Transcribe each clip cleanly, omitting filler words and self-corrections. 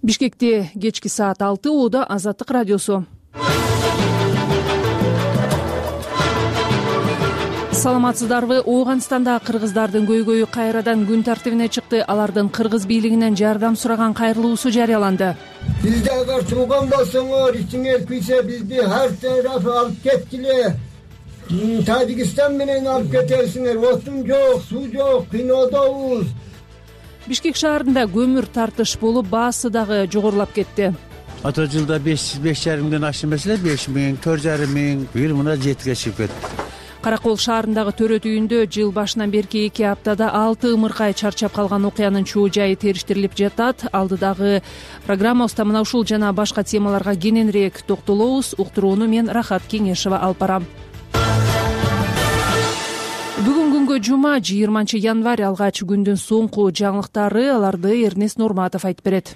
Бишкекте кечки саат 6 ууда Азаттык радиосу. Саламатсыздарбы? Ооганстанда кыргыздардын көйгөйү кайрадан күн тартибине чыкты. Алардын кыргыз бийлигинен жардам сураган кайрылуусу жарыяланды. Бизди агар тууган болсоңор, ичиңер күйсө бизди ар тараф алып кеткиле. Тажикстан менен алып кетесиңер. Отун жок, суу жок, кыйноодобуз. Бишкек шаарында көмүр тартыш болуп, баасы дагы жогорулап кетти. Ата жылда 5,5 ашты эмес эле, 5 000, 4,5 000, бир мына 7ге чыгып кетти. Каракол шаарындагы төрөт үйүндө жыл башынан берки 2 аптада 6 ымыркай чарчап калган окуянын чоо жайы териштирилип жатат. Алдыдагы программабызда мына ушул жана башка темаларга кененирээк токтолобуз. Уктурууну мен Рахат Кеңешева алып барам. Бүгүн күнгө жума 20-январь алгач күндүн соңку жаңылыктары, аларды Эрнест Нурматов айтып берет.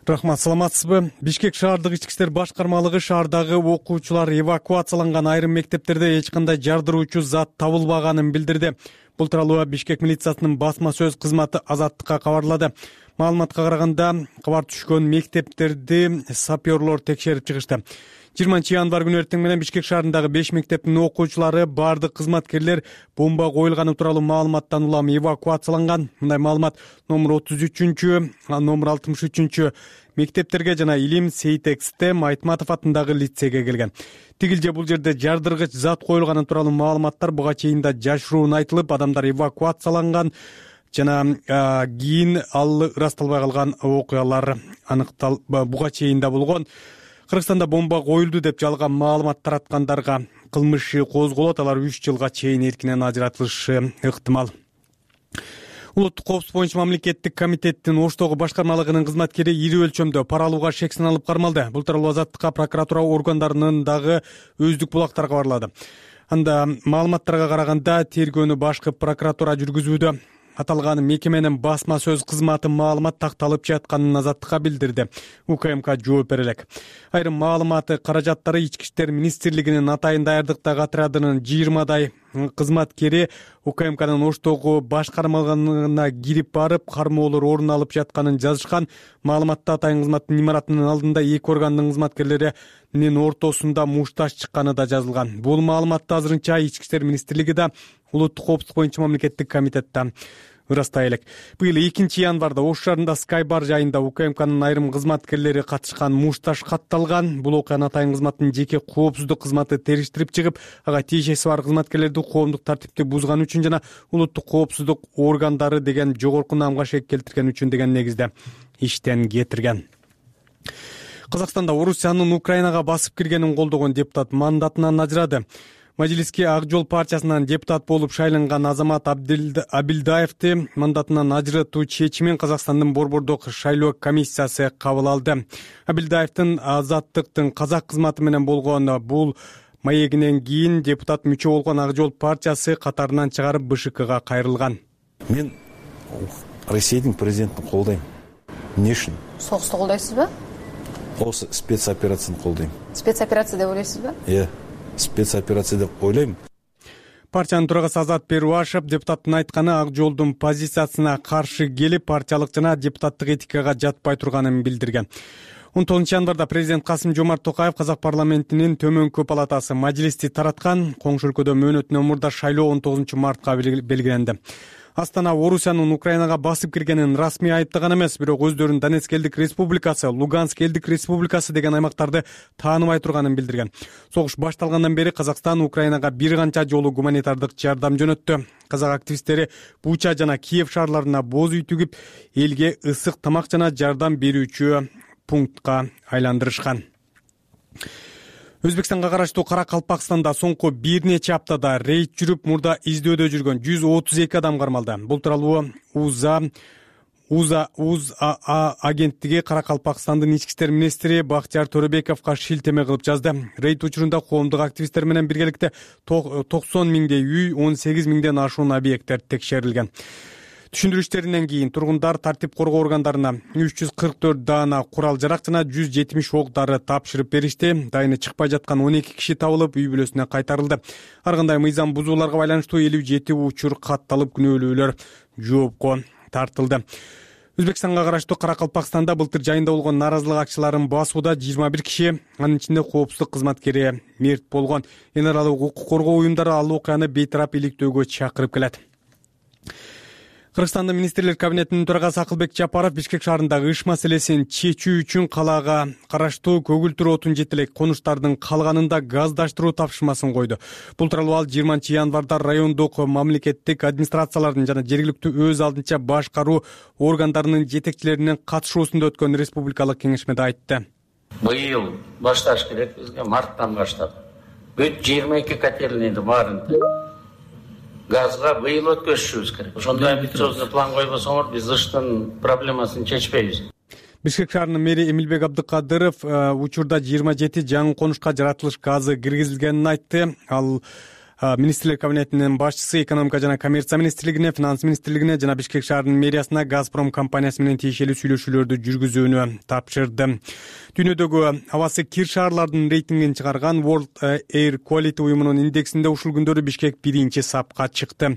Рахмат, саламатсызбы? Бишкек шаардык ички иштер башкармалыгы шаардагы окуучулар эвакуацияланган айрым мектептерде эч кандай жардыруучу зат табылбаганын билдирди. Бул тууралуу Бишкек милициясынын басма сөз кызматы Азаттыкка кабарлады. Маалыматка караганда, кабар түшкөн мектептерди сапёрлор текшерип чыгышты. 20-январь күнү эртең менен Бишкек шаарындагы 5 мектептин окуучулары бардык кызматкерлер бомба коюлганы тууралуу маалыматтан улам эвакуацияланган. Мындай маалымат номер 33, номер 63 мектептерге жана Илим Сейтекстем Айтматов атындагы лицейге келген. Тигилже бул жерде жардыргыч зат коюлганы тууралуу маалыматтар буга чейин да жашыруун айтылып, адамдар эвакуацияланган жана кийин ал ырасталбай калган окуялар буга чейин да болгон. Кыргызстанда бомба коюлду деп жалган маалымат тараткандарга кылмыш козголот, алар 3 жылга чейин эркинен ажыратылышы ыктымал. Улуттук коопсуздук боюнча мамлекеттик комитеттин Оштогу башкармалыгынын кызматкери ири өлчөмдө пара алууга шек саналып кармалды. Бул тууралуу Азаттыкка прокуратура органдарынын дагы өздүк булактары кабарлады. Анда маалыматтарга караганда тергөөнү башкы прокуратура жүргүзүүдө. Аталган мекеменин басма сөз кызматы маалымат такталып жатканын Азаттыкка билдирди. УКМК жооп бере элек. Айрым маалыматы каражаттары Ички иштер министрлигинин атайын даярдыктагы отрядынын 20дай кызматкери УКМКнын Оштогу башкармалыгына кирип барып, кармоолор орун алып жатканын жазышкан. Маалыматта атайын кызматтын имаратынын алдында эки органдын кызматкерлеринин ортосунда мушташ чыкканы да жазылган. Бул маалыматты азырынча Ички иштер министрлиги да Улуттук коопсуздук боюнча мамлекеттик комитетте ырастай элек. Быйыл 2-январда Ош шаарында Скайбар жайында УКМКнын айрым кызматкерлери катышкан мушташ катталган. Бул окуяны атайын кызматтын жеке коопсуздук кызматы териштирип чыгып, ага тиешеси бар кызматкерлерди коомдук тартипти бузган үчүн жана улуттук коопсуздук органдары деген жогорку наамга шек келтирген үчүн деген негизде иштен кетирген. Казакстанда Орусиянын Украинага басып киргенин колдогон депутат мандатынан ажырады. Мажилиске Ак жол партиясынан депутат болуп шайланган Азамат Абилдаевди мандатынан ажыратуу чечимин Казакстандын Борбордук шайлоо комиссиясы кабыл алды. Абилдаевдин Азаттыктын казак кызматы менен болгон бул маегинен кийин депутат мүчө болгон Ак жол партиясы катарынан чыгарып БШКга кайрылган. Мен Россиянын президентин колдойм. Эмне үчүн? Согусту колдойсузбу? Осы спецоперацияны колдойм. Спецоперация деп ойлойсузбу? Спецоперация деп ойлойм. Партиянын төрагасы Азат Перуашев депутаттын айтканы Ак жолдун позициясына каршы келип, партиялык жана депутаттык этикага жатпай турганын билдирген. 19-январда президент Касым-Жомарт Токаев казак парламентинин төмөнкү палатасы Мажилисти тараткан. Коңшу өлкөдө мөөнөтүнөн мурда шайлоо 19-мартка белгиленди. Астана Орусиянын Украинага басып киргенин расмий айыптаган эмес, бирок өздөрүн Донецк элдик республикасы, Луганск элдик республикасы деген аймактарды тааныбай турганын билдирген. Согуш башталгандан бери Казакстан Украинага бир канча жолу гуманитардык жардам жөнөттү. Казак активисттери Буча жана Киев шаарларына боз үй тигип, элге ысык тамак жана жардам берүүчү пунктка айландырышкан. Өзбекстанга караштуу Каракалпакстанда соңку бир нече аптада рейд жүрүп, мурда издөөдө жүргөн 132 адам кармалды. Бул тууралуу УЗА агенттиги Каракалпакстандын ички иштер министри Бактияр Төрөбековго шилтеме кылып жазды. Рейд учурунда коомдук активисттер менен биргеликте 90 миңдей үй, 18 миңден ашуун объекттер текшерилген. Түшүндүрүштөрүнөн кийин тургундар тартип коргоо органдарына 344 даана курал-жарак жана 170 ок дары тапшырып беришти. Дайыны чыкпай жаткан 12 киши табылып, үй бүлөсүнө кайтарылды. Ар кандай мыйзам бузууларга байланыштуу 57 учур катталып, күнөөлүүлөр жоопко тартылды. Өзбекстанга караштуу Каракалпакстанда былтыр жайында болгон нааразылык акчыларын басууда 21 киши, анын ичинде коопсуздук кызматкери мерт болгон. Эн аралык укук коргоо уюмдары ал окуяны бейтарап иликтөөгө чакырып келет. Кыргызстандын министрлер кабинетинин төрагасы Акылбек Жапаров Бишкек шаарындагы иш маселесин чечүү үчүн калаага караштуу көгүлтүр отун жетелек конуштардын калганында газдаштыруу тапшырмасын койду. Бул тууралуу ал 20 январда райондук мамлекеттик администрациялардын жана жергиликтүү өз алдынча башкаруу органдарынын жетекчилеринин катышуусунда өткөн республикалык кеңешмеде айтты. Быйыл башташ керек бизге, марттан баштап. Бүт 22 котельныйды баарын газга быйыл өткөзүшүбүз керек. Ошондой амбициозный план койбосоңор биз ыштын проблемасын чечпейбиз. Бишкек шаарынын мэри Эмилбек Абдыкадыров учурда 27 жаңы конушка жаратылыш газы киргизилгенин айтты. Ал министрлер кабинетинин башчысы экономика жана коммерция министрлигине, финанс министрлигине жана Бишкек шаарынын мэриясына Газпром компаниясы менен тиешелүү сүйлөшүүлөрдү жүргүзүүнү тапшырды. Дүйнөдөгү абасы кир шаарлардын рейтингин чыгарган World Air Quality уюмунун индексинде ушул күндөрү Бишкек 1-сапка чыкты.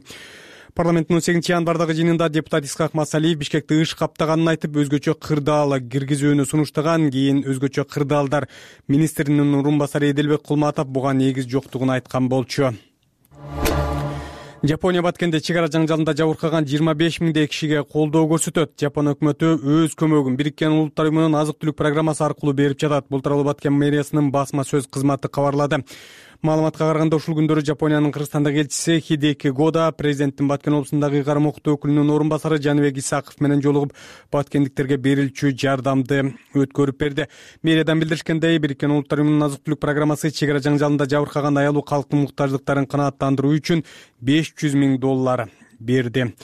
Парламенттин 18 январдагы жыйынында депутат Исхак Масалиев Бишкекти ыш каптаганын айтып, өзгөчө кырдаал киргизүүнү сунуштаган. Кийин өзгөчө кырдаалдар министринин орун басары Эделбек Кулматов буга негиз жоктугун айткан болчу. Жапония Баткенде чек ара жаңжалында жабыркаган 25 миңдей кишиге колдоо көрсөтөт. Жапон өкмөтү өз көмөгүн Бириккен Улуттар уюмунун азык-түлүк программасы аркылуу берип жатат. Бул тууралуу Баткен мэриясынын басма сөз кызматы кабарлады. Маалыматка караганда ушул күндөрү Жапониянын Кыргызстандагы элчиси Хидеки Года президенттин Баткен облусундагы ыйгарым укуктуу өкүлүнүн орун басары Жаныбек Исаков менен жолугуп, баткендиктерге берилчү жардамды өткөрүп берди. Мэриядан билдиришкендей, Бириккен Улуттар уюмунун азык-түлүк программасы чек ара жаңжалында жабыркаган аялуу калктын муктаждыктарын канааттандыруу үчүн $500 миң берди.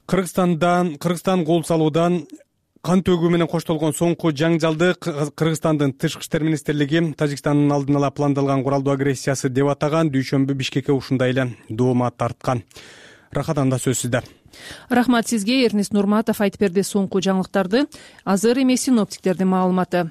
Кыргызстан кол салуудан кан төгүү менен коштолгон соңку жаңжалды Кыргызстандын Тышкы иштер министрлиги Тажикстандын алдын ала пландалган куралдуу агрессиясы деп атаган. Дүйшөмбү Бишкекке ушундай эле доомат тарткан. Рахатанда сөз сизде. Рахмат сизге, Эрнест Нурматов айтып берди соңку жаңылыктарды. Азыр эми синоптиктердин маалыматы.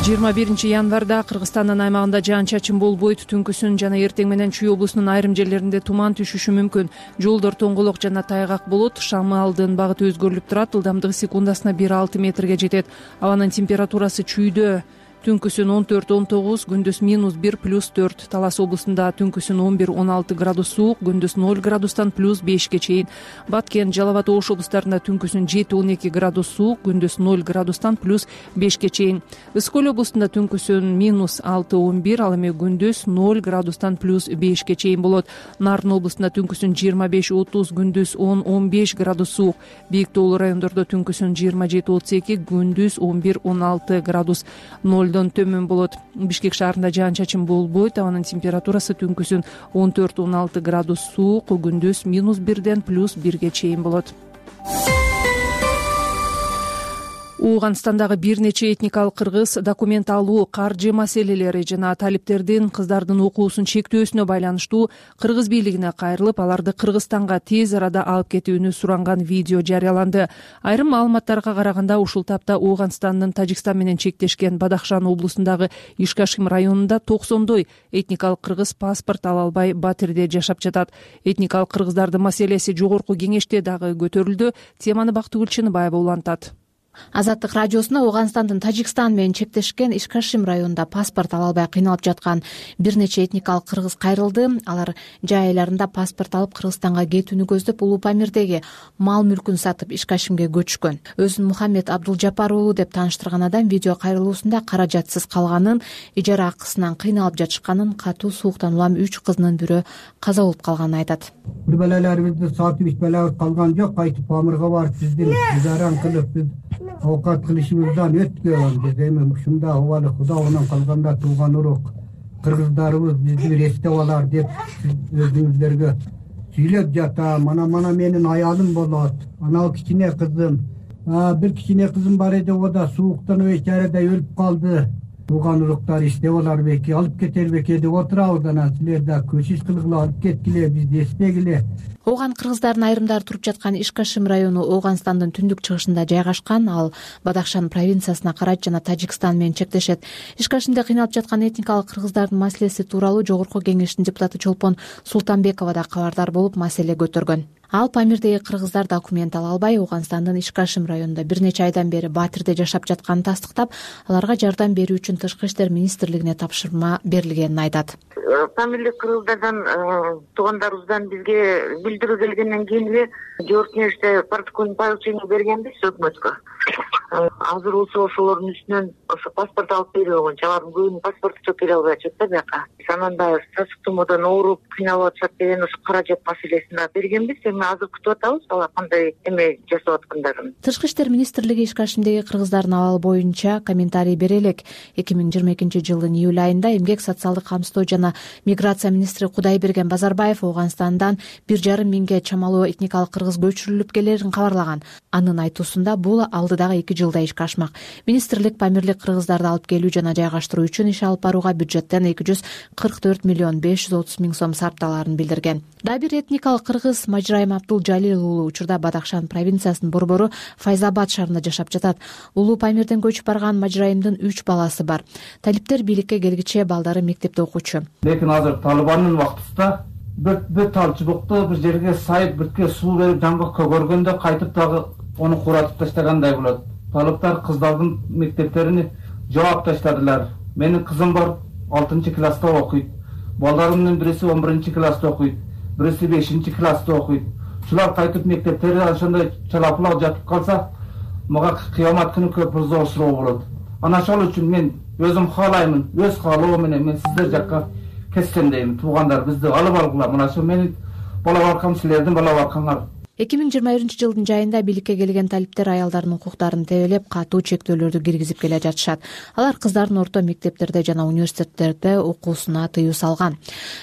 21 январда Кыргызстандын аймагында жаан-чачын болбойт. Түнкүсүн жана эртең менен Чүй облусунун айрым жерлеринде туман түшүшү мүмкүн. Жолдор тоңголок жана тайгак болот. Шамалдын багыты өзгөрүлүп турат. Ылдамдыгы секундасына 1-6 метрге жетет. Абанын температурасы Чүйдө түнкүсүн 14-19, күндүз -1 + 4. Талас облусунда түнкүсүн 11-16 градус суук, күндүз 0 градустан +5 чейин. Баткен, Жалал абад, Ош облустарында түнкүсүн 7-12 градус суук, күндүз 0 градустан +5 чейин. Ысык облусунда түнкүсүн -6-11, ал эми күндүз 0 градустан +5 чейин болот. Нарын облусунда түнкүсүн 25-30, күндүз 10-15 градус суук. Бийик тоолуу райондордо түнкүсүн 27-32, күндүз 11-16 градус. 0 төмөн болот. Бишкек шаарында жаан-чачын болбойт. Абанын температурасы түнкүсүн 14-16 градус суук, күндүз -1 +1 чейин болот. Ооганстандагы бир нече этникалык кыргыз документ алуу, каржы маселелери жана талиптердин кыздардын окуусун чектөөсүнө байланыштуу кыргыз бийлигине кайрылып, аларды Кыргызстанга тез арада алып кетүүнү суранган видео жарыяланды. Айрым маалыматтарга караганда, ушул тапта Ооганстандын Тажикстан менен чектешкен Бадахшан облусундагы Ишкашим районунда 90дой этникалык кыргыз паспорт ала албай Батирде жашап жатат. Этникалык кыргыздардын маселеси жогорку кеңеште дагы көтөрүлдү. Теманы Бактыгүл Чыныбаева улантат. Азаттык радиосуна Ооганстандын Тажикстан менен чектешкен Ишкашим районунда паспорт ала албай кыйналып жаткан бир нече этникалык кыргыз кайрылды. Алар жай айларында паспорт алып Кыргызстанга кетүүнү көздөп Улуу Памирдеги мал мүлкүн сатып Ишкашимге көчкөн. Өзүн Мухаммед Абдулжапар уулу деп тааныштырган адам видео кайрылуусунда каражатсыз калганын, ижара акысынан кыйналып жатышканын, катуу сууктан улам 3 кызынын бирөө каза болуп калганын айтат. Бир балаларыбызды сатып ичпелебиз калган жок, кайтып Памирге барып биздин ижараны кылып биз оокат кылышыбыздан өткөн. Биз эми ушунда убалы Куда менен калганда тууган урук кыргыздарыбыз бизди эстеп алар деп өзүңүздөргө сүйлөп жатам. Мана менин аялым болот, анау кичине кызым. Бир кичине кызым бар эди, о да сууктан бечарада өлүп калды. Тууган уруктар иштеп алар беки, алып кетер беки деп отурабыз. Анан силер да көчүш кылгыла, алып кеткиле, бизди эстегиле. Ооган кыргыздардын айрымдары туруп жаткан Ишкашим району Ооганстандын түндүк чыгышында жайгашкан. Ал Бадахшан провинциясына карайт жана Тажикстан менен чектешет. Ишкашимде кыйналып жаткан этникалык кыргыздардын маселеси тууралуу Жогорку кеңештин депутаты Чолпон Султанбекова да кабардар болуп, маселе көтөргөн. Ал Памирдеги кыргыздар документ ала албай Ооганстандын Ишкашим районунда бир нече айдан бери Батирде жашап жатканын тастыктап, аларга жардам берүү үчүн Тышкы иштер министрлигине тапшырма берилгенин айтат. Памирлик кыргыздардан туугандарыбыздан бизге билдирүү келгенден кийин эле жооп кеңеште протокольный поручение бергенбиз өкмөткө. Азыр болсо ошолордун үстүнөн ошо паспорт алып берүү боюнча алардын көбүнүн паспорту чок келе албай атышат да бияка. Анан да сасык тумоодон ооруп кыйналып атышат деген ошо каражат маселесин да бергенбиз. Эми азыр күтүп атабыз алар кандай эме жасап аткандарын. Тышкы иштер министрлиги Ишкашимдеги кыргыздардын абалы боюнча комментарий бере элек. 2022-жылдын июль айында эмгек социалдык камсыздоо жана миграция министри Кудайберген Базарбаев Ооганстандан 1,5 миңге чамалуу этникалык кыргыз көчүрүлүп келерин кабарлаган. Анын айтуусунда бул алдыдагы 2 жылда ишке ашмак. Министрлик Памирлик кыргыздарды алып келүү жана жайгаштыруу үчүн иш алып барууга бюджеттен 244 миллион 530 миң сом сарпталарын билдирген. Дагы бир этникалык кыргыз Мажрайым Абдулжалил уулу учурда Бадахшан провинциясынын борбору Файзабад шаарында жашап жатат. Улуу Памирден көчүп барган Мажрайымдын 3 баласы бар. Талиптер бийликке келгиче балдары мектепте окуучу. Лекин азыр Талибандын вактысында бүт талчыбыкты бир жерге сайып бирке суу берип жаңгак көгөргөндө кайтып дагы ону куратып таштагандай болот. Талиптар кыздардын мектептерин жаап таштадылар. Менин кызым бар 6-класста окуйт. Балдарымдын бириси 11-класста окуйт, бириси 5-класста окуйт. Шулар кайтып мектептерде ошондой чалапылак жатып калса, мага кыямат күнү көп зор суроо болот. Анан ошол үчүн мен өзүм каалаймын, өз каалоом менен мен сиздер жакка кетсем дейм. Туугандар бизди алып алгыла. Мына ошо менин бала баркам, силердин бала баркаңар. 2021-жылдын жайында бийликке келген талиптер аялдардын укуктарын тебелеп, катуу чектөөлөрдү киргизип келе жатышат. Алар кыздардын орто мектептерде жана университеттерде окуусуна тыюу салган.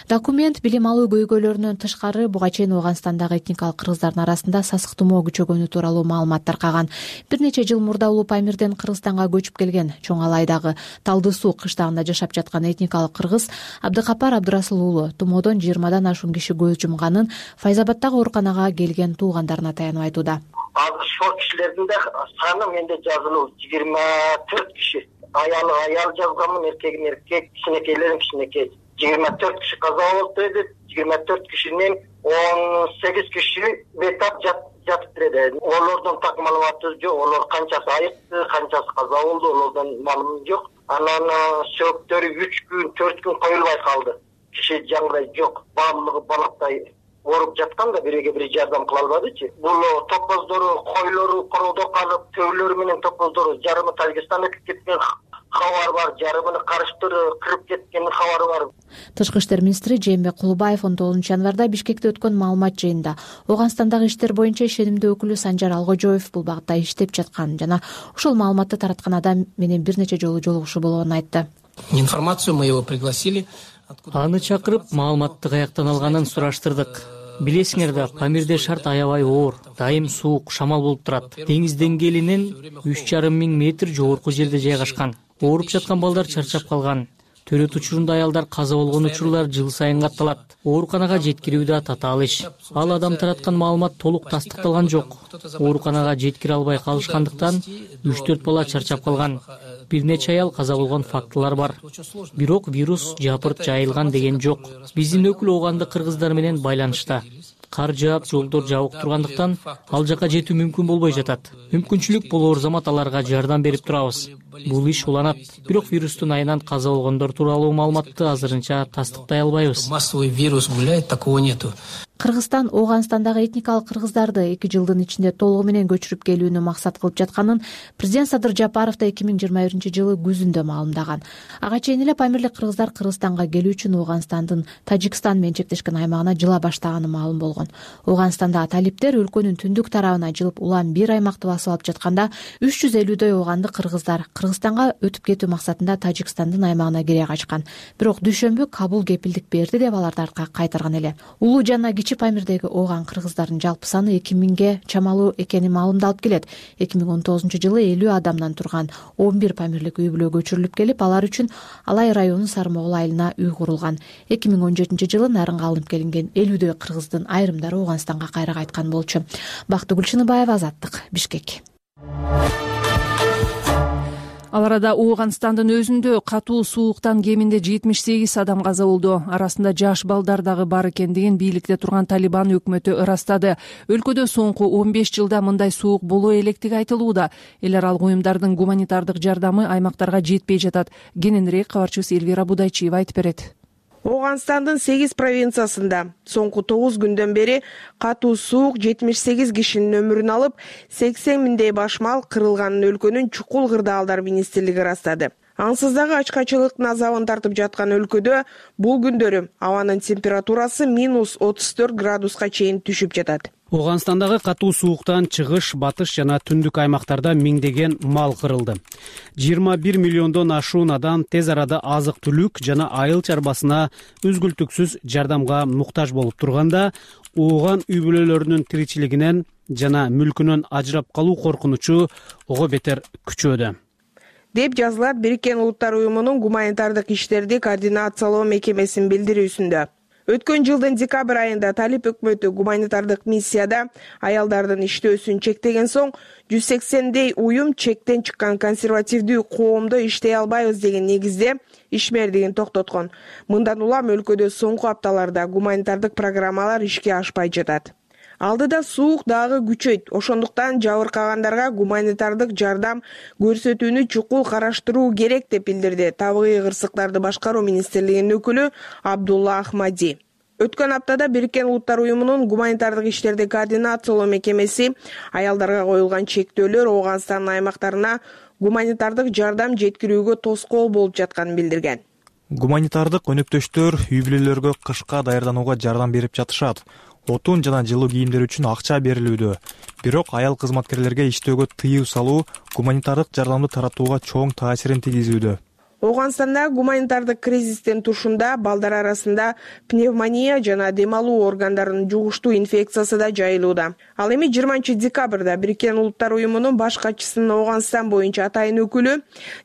Документ билим алуу көйгөйлөрүнөн тышкары буга чейин Ооганстандагы этникалык кыргыздардын арасында сасык тумоо күчөгөнү тууралуу маалымат таркаган. Бир нече жыл мурда Улуу Памирден Кыргызстанга көчүп келген Чоң Алайдагы Талды суу кыштагында жашап жаткан этникалык кыргыз Абдыкапар Абдырасыл уулу тумоодон 20-дан ашуун киши көз жумганын Файзабаддагы ооруканага келген туугандарына таянып айтууда. Азыр ошол кишилердин да саны менде жазылуу 24 киши. Аял жазганмын, эркек, кичинекейлерим кичинекей. 24 киши каза болду деди. 24 кишинин 18 киши бетап жатып берди. Олордун так маалыматы жок. Олор канчасы айыкты, канчасы каза болду, олордон маалымат жок. Анан сөөктөрү 3 күн, 4 күн коюлбай калды. Киши жаңгырай жок. Баардыгы балактай ооруп жатканда бириге бири жардам кыла албадычы. Бул топоздору, койлору короодо калып, төөлөрү менен топоздору жарымы Тажикстанга кеткен кабар бар, жарымы карыштыры кырып кеткен кабары бар. Тышкы иштер министри Жээнбек Кулубаев 19-январда Бишкекте өткөн маалымат жыйынында Ооганстандагы иштер боюнча ишенимдүү өкүлү Санжар Алгожоев бул багытта иштеп жатканын жана ошол маалыматты тараткан адам менен бир нече жолу жолугушуу болгонун айтты. Информацию мы его пригласили. Аны чакырып, маалыматты каяктан алганын сураштырдык. Билесиңер да, Памирде шарт аябай оор, дайым суук, шамал болуп турат. Деңиз деңгээлинен 3,5 миң метр жогорку жерде жайгашкан. Ооруп жаткан балдар чарчап калган. Төрөт учурунда аялдар каза болгон учурлар жыл сайын катталат. Ооруканага жеткирүү да татаал иш. Ал адам тараткан маалымат толук тастыкталган жок. Ооруканага жеткире албай калышкандыктан 3-4 бала чарчап калган. Бир нече аял каза болгон фактылар бар. Бирок вирус жапырт жайылган деген жок. Биздин өкүл оогандык кыргыздар менен байланышта. Кар жаап, жолдор жабык тургандыктан ал жака жетүү мүмкүн болбой жатат. Мүмкүнчүлүк болоор замат аларга жардам берип турабыз. Бул иш уланат. Бирок вирустун айынан каза болгондор тууралуу маалыматты азырынча тастыктай албайбыз. Массовый вирус гуляет, такого нету. Кыргызстан Ооганстандагы этникалык кыргыздарды 2 жылдын ичинде толугу менен көчүрүп келүүнү максат кылып жатканын президент Садыр Жапаров да 2021-жылы күзүндө маалымдаган. Ага чейин эле Памирлик кыргыздар Кыргызстанга келүү үчүн Ооганстандын Тажикстан менен чектешкен аймагына жыла баштаганы маалым болгон. Ооганстандагы талиптер өлкөнүн түндүк тарабына жылып улам бир аймакты басып алып жатканда 350дөй оогандык кыргыздар Кыргызстанга өтүп кетүү максатында Тажикстандын аймагына кире качкан. Бирок дүйшөмбү Кабул кепилдик берди деп аларды артка кайтарган эле. Улуу жана Памирдеги ооган кыргыздардын жалпы саны 2 миңге чамалуу экени маалымдалып келет. 2019-жылы 50 адамдан турган 11 памирлик үй бүлө көчүрүлүп келип, алар үчүн Алай районунун Сармогул айылына үй курулган. 2017-жылы нарынга алынып келинген 50дөй кыргыздын айрымдары Ооганстанга кайра кайткан болчу. Бактыгүл Чыныбаева, Азаттык, Бишкек. Ал арада Ооганстандын өзүндө катуу сууктан кеминде 78 адам каза болду. Арасында жаш балдар дагы бар экендигин бийликте турган Талибан өкмөтү ырастады. Өлкөдө соңку 15 жылда мындай суук боло электиги айтылууда. Эл аралык уюмдардын гуманитардык жардамы аймактарга жетпей жатат. Кененирээк кабарчыбыз Элвира Будайчиева айтып берет. Ооганстандын 8 провинциясында соңку 9 күндөн бери катуу суук 78 кишинин өмүрүн алып, 80 миңдей баш мал кырылганын өлкөнүн чукул кырдаалдар министрлиги ырастады. Ансыз дагы ачкачылыктын азабын тартып жаткан өлкөдө бул күндөрү абанын температурасы -34 градуска чейин түшүп жатат. Ооганстандагы катуу сууктан чыгыш, батыш жана түндүк аймактарда миңдеген мал кырылды. 21 миллиондон ашуун адам тез арада азык-түлүк жана айыл чарбасына үзгүлтүксүз жардамга муктаж болуп турганда, ооган үй бүлөлөрүнүн тиричилигинен жана мүлкүнөн ажырап калуу коркунучу ого бетер күчөдө, деп жазылат Бириккен Улуттар уюмунун гуманитардык иштерди координациялоо мекемесинин билдирүүсүндө. Өткөн жылдын декабрь айында Талиб өкмөтү гуманитардык миссияда аялдардын иштөөсүн чектеген соң 180дей уюм чектен чыккан консервативдүү коомдо иштей албайбыз деген негизде ишмердигин токтоткон. Мындан улам өлкөдө соңку апталарда гуманитардык программалар ишке ашпай жатат. Алдыда суук дагы күчөйт. Ошондуктан жабыркагандарга гуманитардык жардам көрсөтүүнү чукул караштыруу керек деп билдирди табигый кырсыктарды башкаруу министрлигинин өкүлү Абдулла Ахмади. Өткөн аптада Бириккен Улуттар уюмунун гуманитардык иштерди координациялоо мекемеси аялдарга коюлган чектөөлөр Ооганстандын аймактарына гуманитардык жардам жеткирүүгө тоскоол болуп жатканын билдирген. Гуманитардык өнөктөштөр үй бүлөлөргө кышка даярданууга жардам берип жатышат. Отун жана жылуу кийимдер үчүн акча берилүүдө. Бирок аял кызматкерлерге иштөөгө тыюу салуу гуманитардык жардамды таратууга чоң таасирин тийгизүүдө. Ооганстанда гуманитардык кризистин тушунда балдар арасында пневмония жана дем алуу органдарынын жугуштуу инфекциясы да жайылууда. Ал эми 20 декабрда Бириккен Улуттар уюмунун баш катчысынын Ооганстан боюнча атайын өкүлү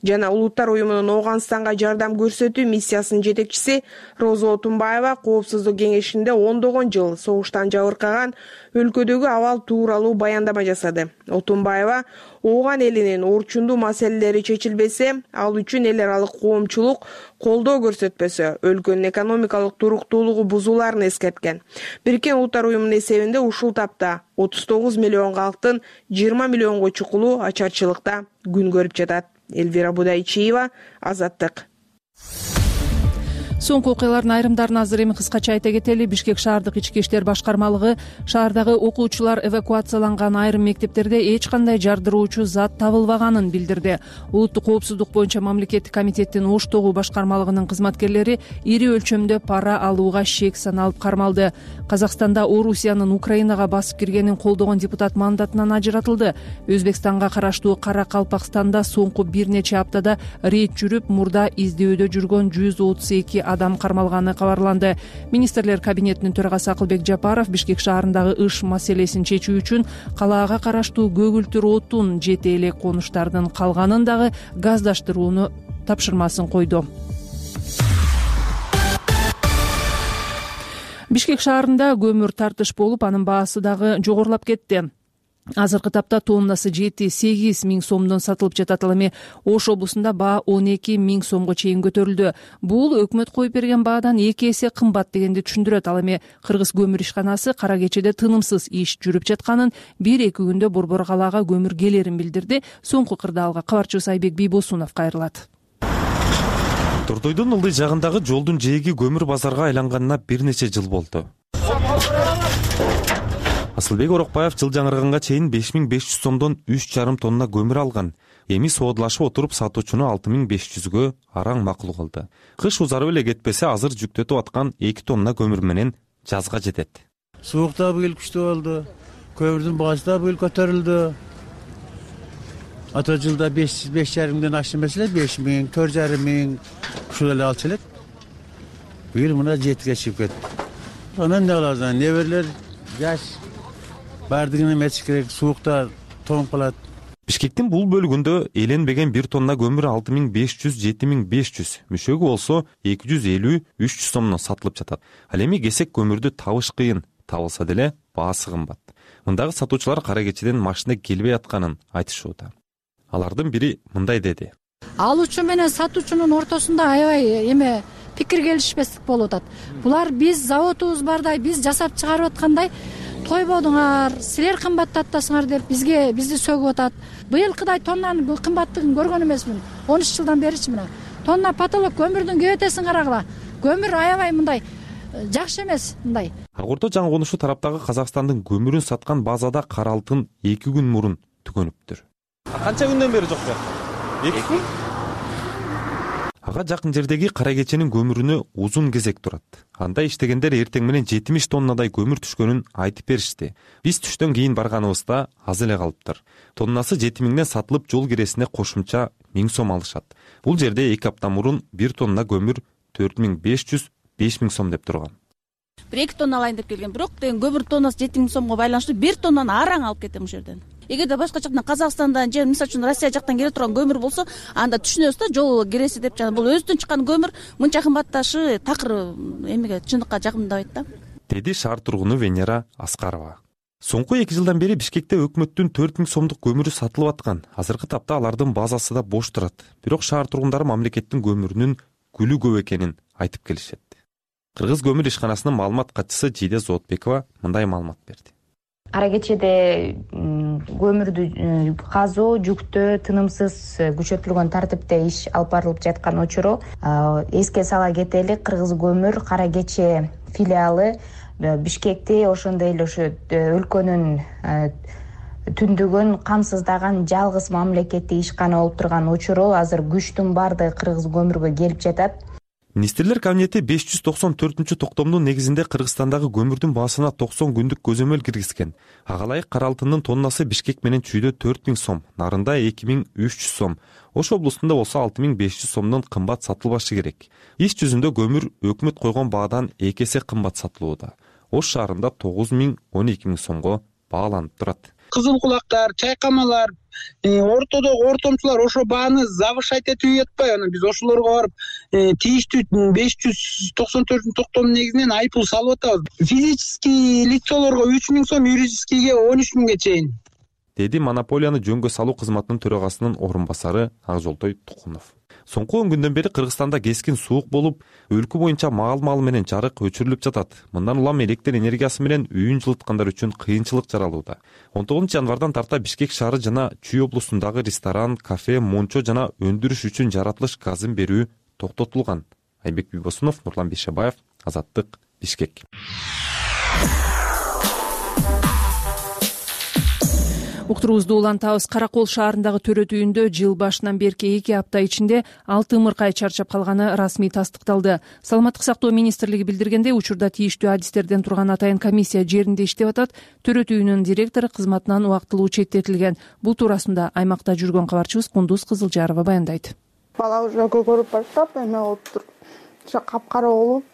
жана Улуттар уюмунун Ооганстанга жардам көрсөтүү миссиясынын жетекчиси Роза Отунбаева Коопсуздук кеңешинде ондогон жыл согуштан жабыркаган өлкөдөгү абал тууралуу баяндама жасады. Отунбаева ооган элинин орчундуу маселелери чечилбесе, ал үчүн эл аралык коомчулук колдоо көрсөтпөсө, өлкөнүн экономикалык туруктуулугу бузулаарын эскерткен. Бириккен Улуттар уюмунун эсебинде ушул тапта 39 миллион калктын 20 миллионго чукулу ачарчылыкта күн көрүп жатат. Элвира Будайчиева, Азаттык. Соңку окуялардын айрымдарын азыр эми кыскача айта кетели. Бишкек шаардык ички иштер башкармалыгы шаардагы окуучулар эвакуацияланган айрым мектептерде эч кандай жардыруучу зат табылбаганын билдирди. Улуттук коопсуздук боюнча мамлекеттик комитеттин Ош тогу башкармалыгынын кызматкерлери ири өлчөмдө пара алууга шек саналып кармалды. Казакстанда Орусиянын Украинага басып киргенин колдогон депутат мандатынан ажыратылды. Өзбекстанга караштуу Кара Калпакстанда соңку бир нече аптада рейд жүрүп, мурда издөөдө жүргөн 132 адам кармалганы кабарланды. Министрлер кабинетинин төрагасы Акылбек Жапаров Бишкек шаарындагы ыш маселесин чечүү үчүн калаага караштуу көгүлтүр отун, жете элек конуштардын калганын дагы газдаштырууну тапшырмасын койду. Бишкек шаарында көмүр тартыш болуп, анын баасы дагы жогорулап кетти. Азыркы тапта тоннасы 7-8 миң сомдон сатылып жатат. Ал эми Ош облусунда баа 12 миң сомго чейин көтөрүлдү. Бул өкмөт коюп берген баадан 2 эсе кымбат дегенди түшүндүрөт. Ал эми Кыргыз көмүр ишканасы кара кечеде тынымсыз иш жүрүп жатканын, 1-2 күндө Борбор калаага көмүр келерин билдирди. Соңку кырдаалга кабарчыбыз Айбек Бийбосунов кайрылат. Турдойдун ылдый жагындагы жолдун жээги көмүр базарга айланганына бир нече жыл болду. Асылбек Орокбаев жыл жаңырганга чейин 5500 сомдон 3,5 тонна көмүр алган. Эми соодулашып отуруп сатуучуну 6500гө араң макул кылды. Кыш узарып эле кетпесе, азыр жүктөтүп аткан 2 тонна көмүр менен жазга жетет. Суукта быйыл күчтүү болду. Көмүрдүн баасы да быйыл көтөрүлдү. Ата жылда 5,5 миңден ашты эмес эле, 5 миң, 4,5 миң ушул эле алчу элек. Быйыл мына 7ге чыгып кетти. Анан эмне кылабыз? Неберлер жаш бардыгын эметиш керек, суукта тоңуп калат. Бишкектин бул бөлүгүндө эленбеген 1 тонна көмүр 6500-7500, мүшөгү болсо 250-300 сомдон сатылып жатат. Ал эми кесек көмүрдү табыш кыйын, табылса деле баасы кымбат. Мындагы сатуучулар кара кечеден машина келбей атканын айтышууда. Алардын бири мындай деди. алуучу менен сатуучунун ортосунда аябай эме пикир келишпестик болуп атат. Булар биз заводубуз бардай, биз жасап чыгарып аткандай тойбодуңар, силер кымбаттатасыңар деп бизди сөгүп атат. Быйылкыдай тоннанын кымбаттыгын көргөн эмесмин. 13 жылдан беричи мына. Тонна потолок көмүрдүн кебетесин карагыла. Көмүр аябай мындай жакшы эмес мындай. Ак Ордо жаңы конушу тараптагы Казакстандын көмүрүн саткан базада кара алтын 2 күн мурун түгөнүптүр. Канча күндөн бери жок бу? 2 күн? Ага жакын жердеги Кара Кеченин көмүрүнө узун кезек турат. Анда иштегендер эртең менен 70 тоннадай көмүр түшкөнүн айтып беришти. Биз түштөн кийин барганыбызда аз эле калыптыр. Тоннасы 7000ден сатылып жол киресине кошумча 1000 сом алышат. Бул жерде 2 апта мурун 1 тонна көмүр 4500-5000 сом деп турган. 1-2 тонна алайын деп келген. Бирок деген көмүр тоннасы 7000 сомго байланыштуу 1 тоннаны араң алып кетем ушул жерден. Эгерде башка жактан Казакстандан же мисалы үчүн Россия жактан келе турган көмүр болсо, анда түшүнөбүз да жол киреси деп жана бул өзүдөн чыккан көмүр мынча кымбатташы такыр эмеге чындыкка жакындабайт да. Деди шаар тургуну Венера Аскарова. Соңку 2 жылдан бери Бишкекте өкмөттүн 4000 сомдук көмүрү сатылып аткан. Азыркы тапта алардын базасы да бош турат. Бирок шаар тургундары мамлекеттин көмүрүнүн күлү көп экенин айтып келишет. Кыргыз көмүр ишканасынын маалымат катчысы Жиде Зоотбекова мындай маалымат берди. Кара Кечеде көмүрдү казуу жүктөө тынымсыз күчөтүлгөн тартипте иш алып барылып жаткан учуру эске сала кетели. Кыргыз көмүр Кара Кече филиалы Бишкекти ошондой эле ошо өлкөнүн түндүгүн камсыздаган жалгыз мамлекеттик ишкана болуп турган учуру азыр күчтүн баардыгы кыргыз көмүргө келип жатат. Министрлер кабинети 594-токтомдун негизинде Кыргызстандагы көмүрдүн баасына 90 күндүк көзөмөл киргизген. Ага ылайык кара алтындын тоннасы Бишкек менен Чүйдө 4000 сом, Нарында 2300 сом, Ош облустунда болсо 6500 сомдон кымбат сатылбашы керек. Иш жүзүндө көмүр өкмөт койгон баадан 2 эсе кымбат сатылууда. Ош шаарында 9000-12000 сомго бааланып турат. Кызыл кулактар, чайкамалар, ортодогу ортомчулар ошо бааны завышать этип жатпай, анан биз ошолорго барып тийиштүү 594 токтомдун негизинен айыппул салып атабыз. Физический лицолорго 3000 сом, юридическийге 13000ге чейин. Деди монополияны жөнгө салуу кызматынын төрагасынын орун басары Акжолтой Тукунов. Соңку 10 күндөн бери Кыргызстанда кескин суук болуп, өлкө боюнча маал-маал менен жарык өчүрүлүп жатат. Мындан улам электр энергиясы менен үйүн жылыткандар үчүн кыйынчылык жаралууда. 19 январдан тарта Бишкек шаары жана Чүй облусундагы ресторан, кафе, мончо жана өндүрүш үчүн жаратылыш газын берүү токтотулган. Айбек Бибосунов, Нурлан Бейшебаев, Азаттык, Бишкек. Уктуруубузду улантабыз. Каракол шаарындагы төрөт үйүндө жыл башынан берки 2 апта ичинде 6 ымыркай чарчап калганы расмий тастыкталды. Саламаттык сактоо министрлиги билдиргендей, учурда тийиштүү адистерден турган атайын комиссия жеринде иштеп атат. Төрөт үйүнүн директору кызматынан убактылуу четтетилген. Бул туурасында аймакта жүргөн кабарчыбыз Кундуз Кызылжарова баяндайт. Бала уже көгөрүп баштап эме болуптур. Ошо капкара болуп,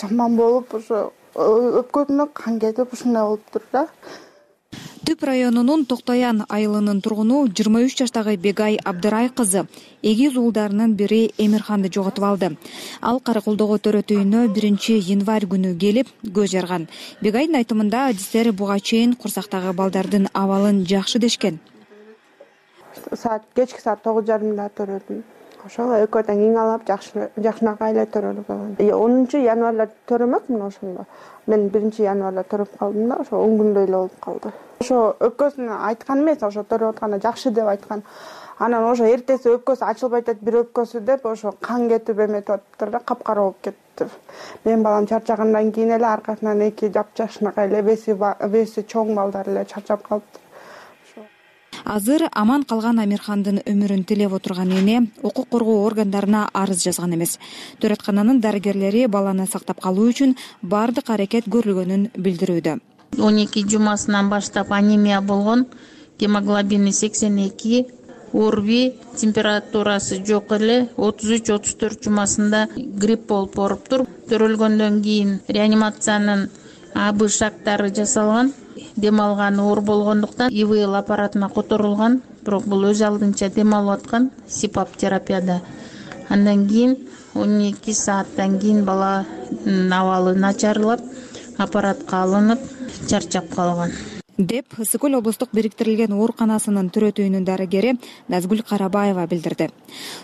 жаман болуп, ошо өпкөсүнө кан кетип ушундай болуптур да. Түп районунун Токтоян айылынын тургуну 23 жаштагы Бегай Абдырай кызы эгиз уулдарынын бири Эмирханды жоготуп алды. Ал Караколдогу төрөт үйүнө 1-январь күнү келип көз жарган. Бегайдын айтымында адистер буга чейин курсактагы балдардын абалын жакшы дешкен. Кечки саат 9:30 төрөлдүм. Ошол экөөдөн кийин жакшынакай эле төрөлүп алган. 10 январда төрөмөкмүн ошондо. Мен 1 январда төрөп калдым да, ошо 10 күндөй эле болуп калды. Ошо өпкөсүн айткан эмес, ошо төрөп атканда жакшы деп айткан. Анан ошо эртеси өпкөсү ачылбай атат, бир өпкөсү деп ошо кан кетип эметип атыптыр да, капкара болуп кетти. Мен балам чарчагандан кийин эле аркасынан 2 жапжашынакай эле веси чоң балдар эле чарчап калыптыр. Азыр аман калган Амирхандын өмүрүн тилеп отурган эне укук коргоо органдарына арыз жазган эмес. Төрөткананын дарыгерлери баланы сактап калуу үчүн бардык аракет көрүлгөнүн билдирүүдө. 12 жумасынан баштап анемия болгон, гемоглобини 82, орби, температурасы жок эле, 33-34 жумасында грипп болуп оруптур. Төрөлгөндөн кийин реанимациянын АБ шактары жасалган. Дем алган оор болгондуктан ИВЛ аппаратына которулган, бирок бул өз алдынча дем алып аткан СИПАП терапияда. Андан кийин 12 сааттан кийин баланын абалы начарлап, аппаратка алынып, чарчап калган. деп Ысык Көл облустук бириктирилген ооруканасынын төрөтүүнүн дарыгери Назгүл Карабаева билдирди.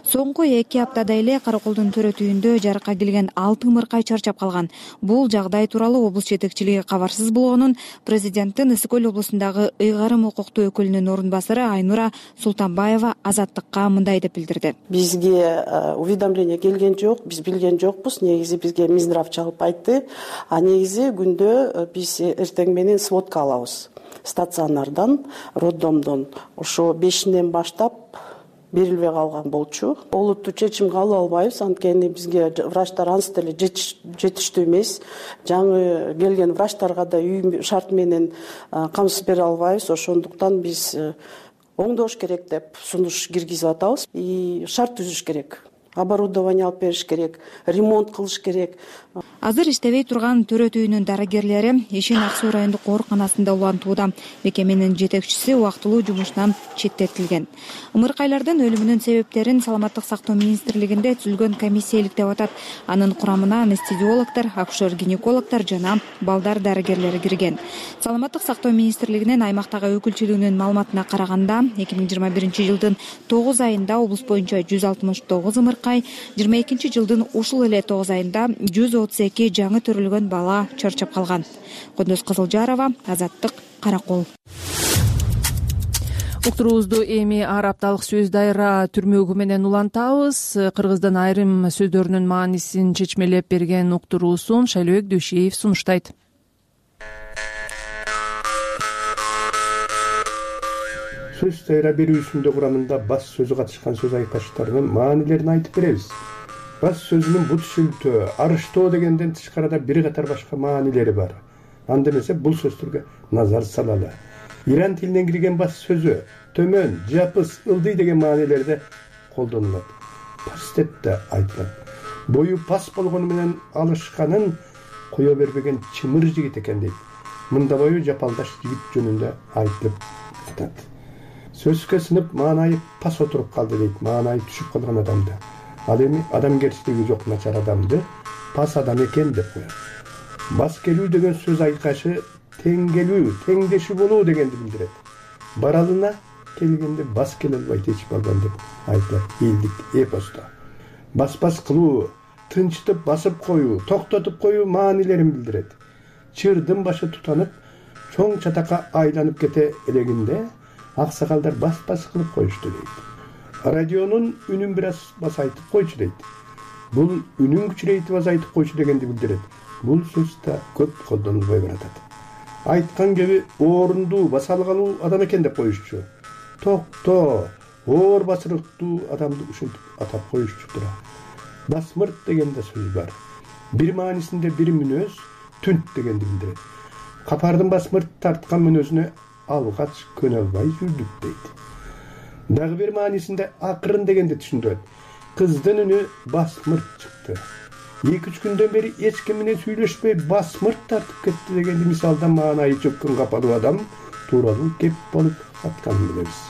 Соңку 2 аптада эле Караколдун төрөтүүндө жарыкка келген 6 ымыркай чарчап калган. Бул жагдай тууралуу облус жетекчилиги кабарсыз болгонун президенттин Ысык Көл облусундагы ыйгарым укуктуу өкүлүнүн орун басары Айнура Султанбаева Азаттыкка мындай деп билдирди. Бизге уведомление келген жок, биз билген жокпуз. Негизи бизге Минздрав чалып айтты. А негизи күндө биз эртең менен сводка алабыз. Стационардан, роддомдон ошо 5-ден баштап берилбей калган болчу. Олуттуу чечим кабыл албайбыз, анткени бизге врачтар ансы деле жетиштүү эмес. Жаңы келген врачтарга да үй шарт менен камсыз бере албайбыз. Ошондуктан биз оңдош керек деп сунуш киргизип атабыз. И шарт түзүш керек. Оборудование алып бериш керек, ремонт кылыш керек. Азыр иштебей турган төрөтүүнүн дарыгерлери Ишин Ак Суу райондук ооруканасында улантууда. Мекеменин жетекчиси убактылуу жумуштан четтетилген. Ымыркайлардын өлүмүнүн себептерин Саламаттык сактоо министрлигинде түзүлгөн комиссия иликтеп атат. Анын курамына анестезиологдор, акушер-гинекологдор жана балдар дарыгерлери кирген. Саламаттык сактоо министрлигинин аймактагы өкүлчүлүгүнүн маалыматына караганда, 2021-жылдын 9 айында облус боюнча 169 ымыркай, 22-жылдын ушул эле 9 айында 132 жаңы төрөлгөн бала чарчап калган. Кондос Кызылжарова, Азаттык, Каракол. Уктуруубузду эми ар апталык сөз дайра түрмөгү менен улантабыз. Кыргыздын айрым сөздөрүнүн маанисин чечмелеп берген уктуруусун Шайлообек Дөшеев сунуштайт. Сөз дайра берүүсүндө курамында бас сөзү катышкан сөз айкаштарынын маанилерин айтып беребиз. Бас сөзүнүн бут шүлтөө, арыштоо дегенден тышкарыда бир катар башка маанилери бар. Анда эмесе бул сөздөргө назар салалы. Иран тилинен кирген бас сөзү төмөн, жапыс, ылдый деген маанилерде колдонулат. Пас деп да айтылат. Бою пас болгону менен алышканын кое бербеген чымыр жигит экен дейт. Мында бою жапалдаш жигит жөнүндө айтылып атат. Сөзгө сынып маанайы пас отуруп калды дейт, маанайы түшүп калган адамды. Ал эми адамгерчилиги жок начар адамды пас адам экен деп коет. Бас келүү деген сөз айкашы тең келүү, теңдешүү болуу дегенди билдирет. Баралына келгенде бас келе албайт эч балдан деп айтылат элдик эпосто. Бас кылуу, тынчтып басып коюу, токтотуп коюу маанилерин билдирет. Чырдын башы тутанып, чоң чатакка айланып кете элегинде аксакалдар бас кылып коюшту дейт. Радионун үнүн бир аз басайтып койчу дейт. Бул үнүн күчүрейтип азайтып койчу дегенди билдирет. Бул сөз да көп колдонулбой баратат. Айткан кеби орунду баса алгалуу адам экен деп коюшчу. Токто, оор басырыктуу адамды ушинтип атап коюшчу тура. Басмырт деген да сөз бар. Бир маанисинде бир мүнөз түнт дегенди билдирет. Капардын басмырт тарткан мүнөзүнө алгач көнө албай жүрдүк дейт. Дагы бир маанисинде акырын дегенди түшүндүрөт. Кыздын үнү басмырт чыкты. 2-3 күндөн бери эч ким менен сүйлөшпөй басмырт тартып кетти дегенди мисалдан маанайы чөккөн капалуу адам тууралуу кеп болуп атканын билебиз.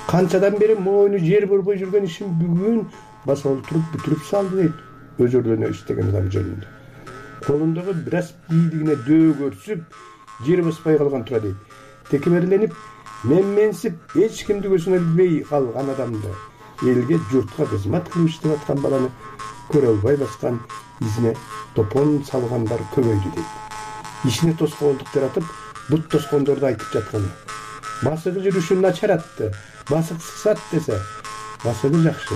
Канчадан бери мойну жер борбой жүргөн ишин бүгүн баса олтуруп бүтүрүп салды дейт өзөрлөнө иштеген адам жөнүндө. Колундагы бир аз бийлигине дөө көрсүп, жер баспай калган тура дейт. Текеберленип, менсип, эч кимди көзүнө илбей калган адамды, элге журтка кызмат кылып иштеп аткан баланы көрө албай баскан изине топон салгандар көбөйдү дейт. Ишине тоскоолдук жаратып, бут тоскондорду айтып жатканы. Басыгы жүрүшүн начар атты, басык сыксат десе, басыгы жакшы,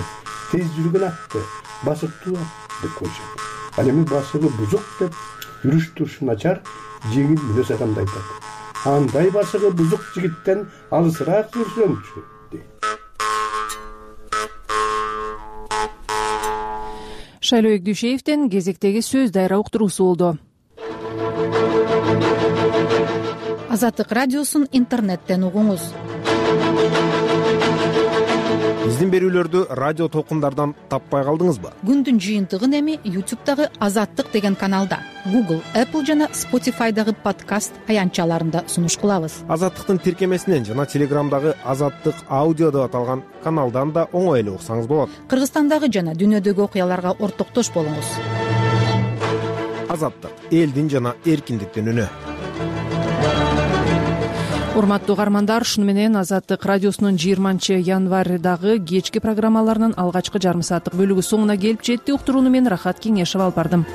тез жүргөн атты, басыктуу деп коюшат. Ал эми басыгы бузук деп жүрүш турушу начар, жеңил мүнөз адамды айтат. Андай басыгы бузук жигиттен алысыраак жүрсөңчү дейт. Шайлообек Дүйшеевден кезектеги сөз дайра уктуруусу болду. Азаттык радиосун интернеттен угуңуз. Биздин берүүлөрдү радио толкундардан таппай калдыңызбы? Күндүн жыйынтыгын эми YouTube'дагы Азаттык деген каналда, Google, Apple жана Spotify'дагы подкаст аянтчаларында сунуш кылабыз. Азаттыктын тиркемесинен жана Телеграмдагы Азаттык аудио деп аталган каналдан да оңой эле уксаңыз болот. Кыргызстандагы жана дүйнөдөгү окуяларга ортоктош болуңуз. Азаттык, элдин жана эркиндиктин үнү. урматтуу угармандар, ушуну менен Азаттык радиосунун 20-январдагы кечки программаларынын алгачкы жарым сааттык бөлүгү соңуна келип жетти. Уктурууну мен Рахат Кеңешова алып бардым.